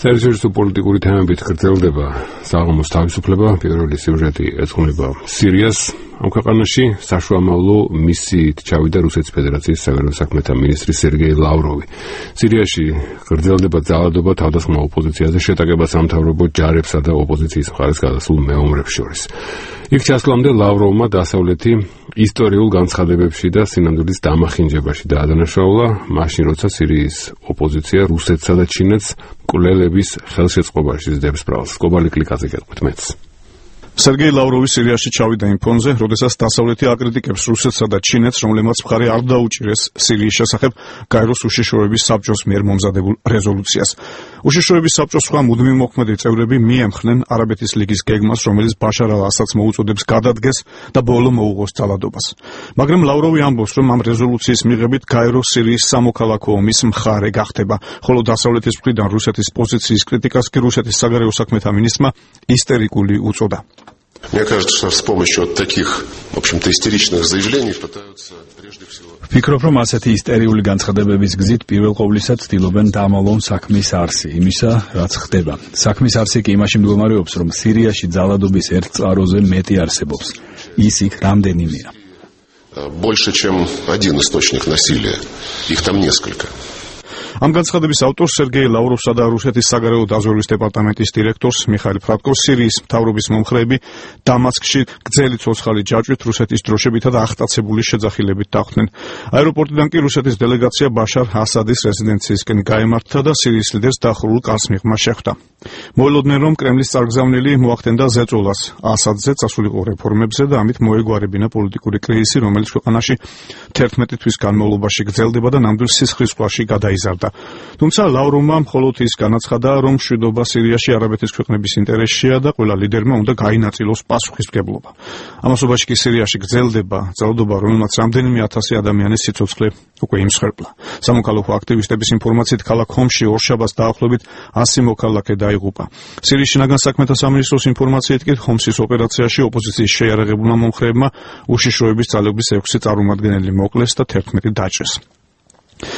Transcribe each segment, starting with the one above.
საერთაშორისო პოლიტიკური თემებით გრძელდება საღამოს თავისუფლება. პირველი სიუჟეტი ეძღვნება სირიას. ამ ქვეყანაში საშუალო მისიით ჩავიდა რუსეთის ფედერაციის საგარეო საქმეთა მინისტრი სერგეი ლავროვი. სირიაში გრძელდება ძალადობა თავდასხმა ოპოზიციაზე, შეტაკება სამთავრობო ჯარებსა და ოპოზიციის მხარეს გადასულ მეომრებს შორის. იქ ჩასვლამდე ლავროვმა დასავლეთი ისტორიულ განცხადებებში და სინამდვილის დამახინჯებაში დაადანაშაულა, მაშინ როცა სირიის ოპოზიცია რუსეთსა და ჩინეთს მკვლელების ხელშეწყობაში ზდებს ბრალს. გლობალი კლიკაზე გეტყვით მეც. სერგეი ლავროვი სირიაში ჩავიდა იმ ფონზე, როდესაც დასავლეთი აკრიტიკებს რუსეთსა და ჩინეთს, რომლებმაც მხარი არ დაუჭირეს სირიის შესახებ გაეროს უშიშროების საბჭოს მიერ მომზადებულ რეზოლუციას. უშიშროების საბჭოს სხვა მუდმივ მოქმედი წევრები მიემხნენ არაბეთის ლიგის გეგმას, რომელიც ბაშარ ალ-ასადს მოუწოდებს გადადგეს და ბოლო მოუღოს ძალადობას. მაგრამ ლავროვი ამბობს, რომ ამ რეზოლუციის მიღებით გაერო სირიის სამოქალაქო ომის მხარე гахდება, ხოლო დასავლეთის მხრიდან რუსეთის პოზიციის критикას კი რუსეთის საგარეო საქმეთა მინისტრმა ისტერიკული უწოდა. Мне кажется, что с помощью вот таких, в общем-то, истеричных заявлений пытаются прежде всего... Фიქრობ, რომ ასეთი ისტერიული განცხადებების გზით პირველ ყოვლისა ცდილობენ დამალონ საქმის არსი, იმისა, რაც ხდება. საქმის არსი კი იმაში მდგომარეობს, რომ სირიაში ძალადობის ერთ წყაროზე მეტი არსებობს. ის იქ რამდენიმეა. Больше, чем один источник насилия. Их там несколько. ამ განცხადების ავტორს სერგეი ლავროვსა და რუსეთის საგარეო დაზვერვის დეპარტამენტის დირექტორს მიხაილ ფრატკოს სირიის მთავრობის მომხრეები დამასკში გრძელი ცოცხალი ჯაჭვით რუსეთის დროშებითა და აღტაცებული შეძახილებით დახვდნენ. აეროპორტიდან კი რუსეთის დელეგაცია ბაშარ ასადის რეზიდენციისკენ გაემართა და სირიის ლიდერს დახურულ კარს მიღმა შეხვდა. მოელოდნენ, რომ კრემლის წარგზავნილი მოახდენდა ზეწოლას ასადზე წასულიყო რეფორმებზე და ამით მოეგვარებინა პოლიტიკური კრიზისი, რომელიც ქვეყანაში 11 თვის განმავლობაში გრძელდება და ნამდვილ სისხლისღვრაში გადაიზარდა. თუმცა ლავროვმა მხოლოდ ის განაცხადა, რომ მშვიდობა სირიაში არაბეთის ქვეყნების ინტერესშია და ყველა ლიდერმა უნდა გაინაწილოს პასუხისმგებლობა. ამასობაში კი სირიაში გრძელდება ძალადობა, რომელმაც რამდენიმე ათასი ადამიანის სიცოცხლე უკვე იმსხვერპლა. სამოქალაქო აქტივისტების ინფორმაციით ქალაქ ჰომში ორშაბათს დაახლოებით 100 მოქალაქე დაიღუპა. სირიის შინაგან საქმეთა სამინისტროს ინფორმაციით კი ჰომსის ოპერაციაში ოპოზიციის შეიარაღებულმა მომხრეებმა უშიშროების ძალების 6 წარმომადგენელი მოკლეს და 11 დაჭრეს.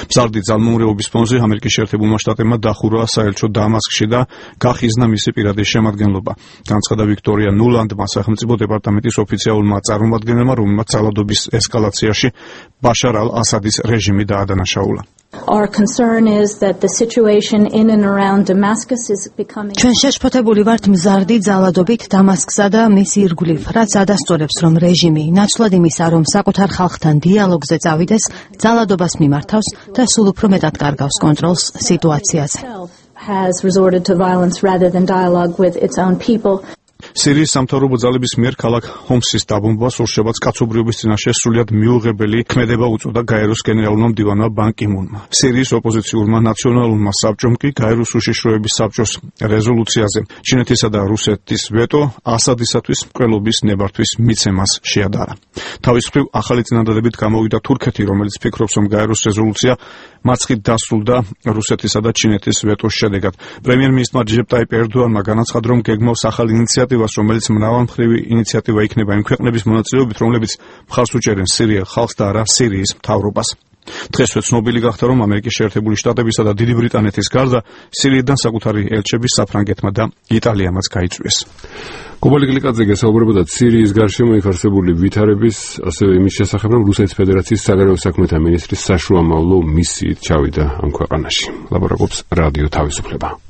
მზარდი ძალმომრეობის ფონზე ამერიკის შეერთებულმა შტატებმა დახურა საელჩო დამასკში და გახიზნა მისი პირადი შემადგენლობა. განცხადა ვიქტორია ნულანდმა სახელმწიფო დეპარტამენტის ოფიციალურმა წარმომადგენელმა, რომელმაც ძალადობის ესკალაციაში ბაშარ ალ-ასადის რეჟიმი დაადანაშაულა. Our concern is that the situation in and around Damascus is becoming ჩვენ შეშფოთებული ვართ მზარდი ძალადობით დამასკსა და მის ირგვლივ, რაც ადასტურებს, რომ რეჟიმი ნაცვლად იმისა, რომ საკუთარ ხალხთან დიალოგზე წავიდეს, ძალადობას მიმართავს და სულ უფრო მეტად კარგავს კონტროლს სიტუაციაზე. has resorted to violence rather than dialogue with its own people. სირიის სამთავრობო ძალების მიერ ქალაქ ჰომსის დაბომბვას ორშაბათს კაცობრიობის წინაშე სრულიად მიუღებელი ქმედება უწოდა გაეროს გენერალურმა მდივანმა ბან კი მუნმა. სირიის ოპოზიციურმა ნაციონალურმა საბჭომ კი გაეროს უშიშროების საბჭოს რეზოლუციაზე ჩინეთისა და რუსეთის ვეტო ასადისათვის მკვლელობის ნებართვის მიცემას შეადარა. თავის მხრივ ახალი წინადადებით გამოვიდა თურქეთი, რომელიც ფიქრობს, რომ გაეროს რეზოლუცია მაცხით დასრულდა რუსეთისა და ჩინეთის ვეტოს შედეგად. პრემიერ-მინისტრმა რეჯეპ ტაიპ ერდოანმა განაცხადა, რომ გეგმავს ახალ ინიციატივას, რომელიც მრავალმხრივი ინიციატივა იქნება იმ ქვეყნების მონაწილეობით, რომლებიც მხარს უჭერენ სირიელ ხალხს და არა სირიის მთავრობას. დღესვე ცნობილი გახდა, რომ ამერიკის შეერთებული შტატებისა და დიდი ბრიტანეთის გარდა სირიიდან საკუთარი ელჩები საფრანგეთმა და იტალიამაც გაიწვიეს. გლობალი კლიკაზე გესაუბრებოდა სირიის გარშემო იქ არსებული ვითარების, ასევე იმის შესახებ, რომ რუსეთის ფედერაციის საგარეო საქმეთა მინისტრის საშუალო მისიით ჩავიდა ამ ქვეყანაში. ლაპარაკობს რადიო თავისუფლება.